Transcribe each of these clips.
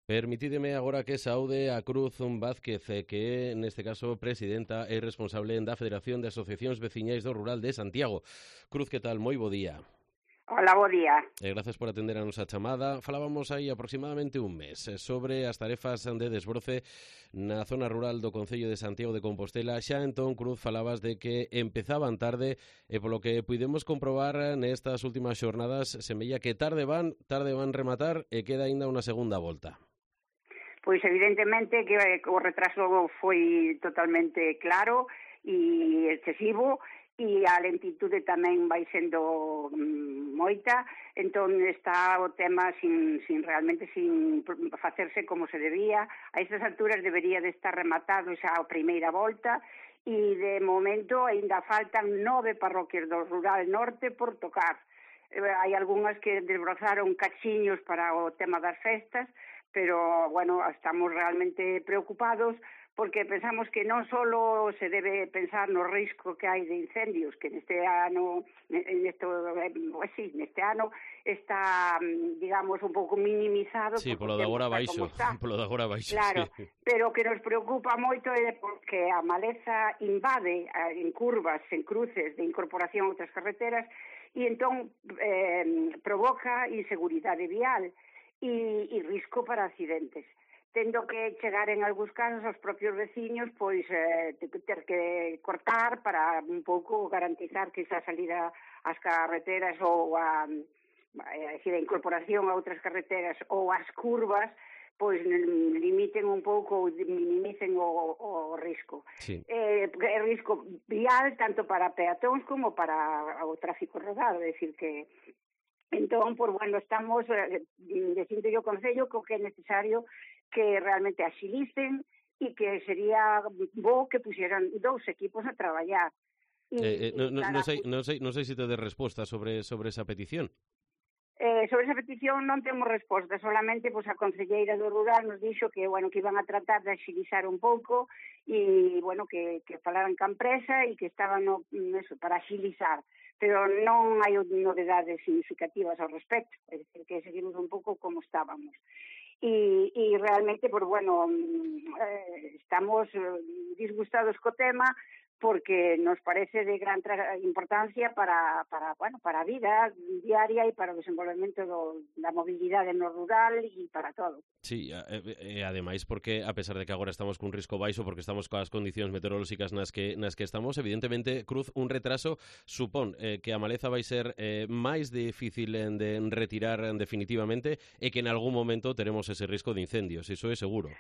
Permitideme agora que saúde a Cruz Vázquez, que é, neste caso, presidenta e responsable da Federación de Asociacións Veciñais do Rural de Santiago. Cruz, que tal? Moi bo día. Hola, bo día. Gracias por atender a nosa chamada. Falábamos aí aproximadamente un mes sobre as tarefas de desbroce na zona rural do Concello de Santiago de Compostela. Xa entón, Cruz, falabas de que empezaban tarde e polo que puidemos comprobar nestas últimas xornadas, semella que tarde van rematar e queda aínda unha segunda volta. Pois evidentemente que o retraso foi totalmente claro e excesivo e a lentitude tamén vai sendo moita, entón está o tema sin facerse como se debía. A estas alturas debería de estar rematado xa a primeira volta e de momento aínda faltan 9 parroquias do rural norte por tocar. Hai algunhas que desbrozaron cachiños para o tema das festas, pero, bueno, estamos realmente preocupados porque pensamos que non só se debe pensar no risco que hai de incendios, que neste ano está, digamos, un pouco minimizado. Sí, polo de agora baixo, Claro, sí. pero o que nos preocupa moito é porque a maleza invade en curvas, en cruces de incorporación a outras carreteras e entón provoca inseguridade vial e risco para accidentes, tendo que chegar en algúns casos aos propios veciños pois ter que cortar para un pouco garantizar que esa salida ás carreteras ou a incorporación a outras carreteras ou as curvas pois limiten un pouco ou minimicen o risco. Sí. É risco vial tanto para peatóns como para o tráfico rodado, é dicir que entón, pues bueno, estamos dicindo yo Concello que é necesario que realmente axilicen e que sería bo que pusieran 2 equipos a traballar. Non sei se te des resposta sobre esa petición. Sobre esa petición non temos resposta, solamente pues, a concelleira do rural nos dixo que, bueno, que iban a tratar de axilizar un pouco e, bueno, que falaran ca empresa e que estaban para axilizar, pero non hai novedades significativas ao respecto, é dicir, que seguimos un pouco como estábamos. E realmente, pues, bueno, estamos disgustados co tema, porque nos parece de gran importancia para a vida diaria e para o desenvolvemento da mobilidade no rural e para todo. Sí, e ademais porque, a pesar de que agora estamos cun risco baixo, porque estamos coas condicións meteorolóxicas nas que estamos, evidentemente, Cruz, un retraso supón que a maleza vai ser máis difícil de retirar definitivamente e que en algún momento teremos ese risco de incendios, iso é seguro.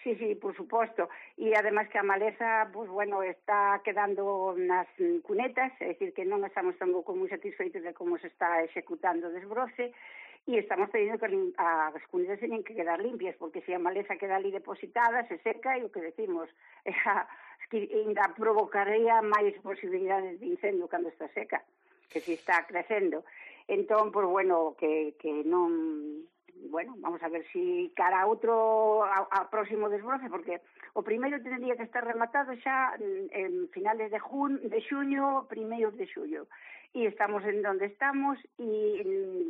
Sí, por suposto. E ademais que a maleza, pues bueno, está quedando nas cunetas, é dicir, que non estamos tampouco moi satisfeitos de como se está executando o desbroce e estamos pedindo que as cunetas teñen que quedar limpias, porque se a maleza queda ali depositada, se seca e o que decimos, ainda provocaría máis posibilidades de incendio cando está seca, que se está crecendo. Entón, pues bueno, que non... Bueno, vamos a ver si cara a próximo desbroce, porque o primeiro tendría que estar rematado xa en finales de xuño, primeiros de xullo. E estamos en donde estamos e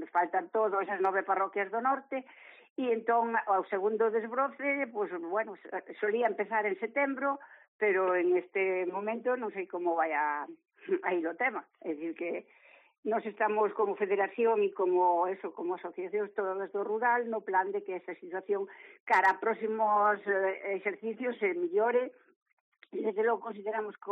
faltan todas esas 9 parroquias do norte e entón o segundo desbroce, pues bueno, solía empezar en setembro, pero en este momento non sei como vai a ir o tema. É dicir que nos estamos como federación e como asociacións todas do rural no plan de que esa situación cara a próximos exercicios se millore e desde logo consideramos que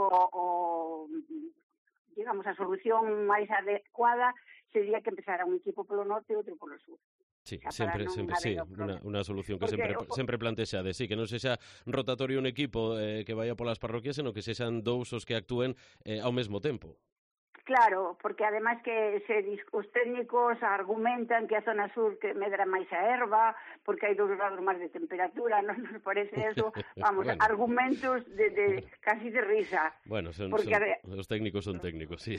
digamos, a solución máis adecuada sería que empezara un equipo polo norte e outro polo sur. Sí, sempre, sí, unha solución que sempre plantexade, sí, que non sexa rotatorio un equipo que vaya polas parroquias, senón que sexan 2 os que actúen ao mesmo tempo. Claro, porque ademais que os técnicos argumentan que a zona sur que medra máis a erva, porque hai 2 grados máis de temperatura, non nos parece eso, vamos, bueno. Argumentos de casi de risa. Bueno, os técnicos son técnicos, sí.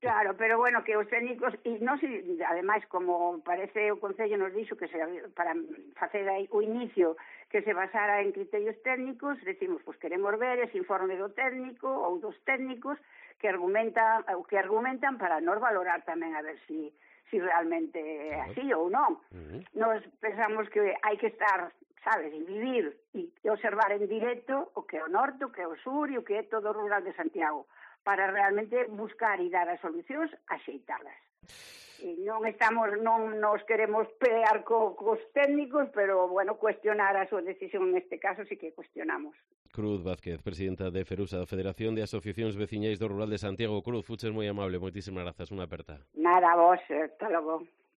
Claro, pero bueno, que os técnicos, e non sei, ademais, como parece o Concello nos dixo que para facer o inicio que se basara en criterios técnicos, decimos, pues queremos ver ese informe do técnico ou dos técnicos que argumentan para nos valorar tamén a ver si si realmente é así ou non. Nos pensamos que hai que estar, sabes, e vivir e observar en directo o que é o norte, o que é o sur e o que é todo o rural de Santiago, para realmente buscar e dar as solucións axeitadas. E non nos queremos pelear cos técnicos, pero, bueno, cuestionar a súa decisión neste caso sí que cuestionamos. Cruz Vázquez, presidenta de FERUSA, da Federación de Asociacións Veciñais do Rural de Santiago. Cruz, fuches moi amable, moitísimas grazas, unha aperta. Nada, vos, hasta logo.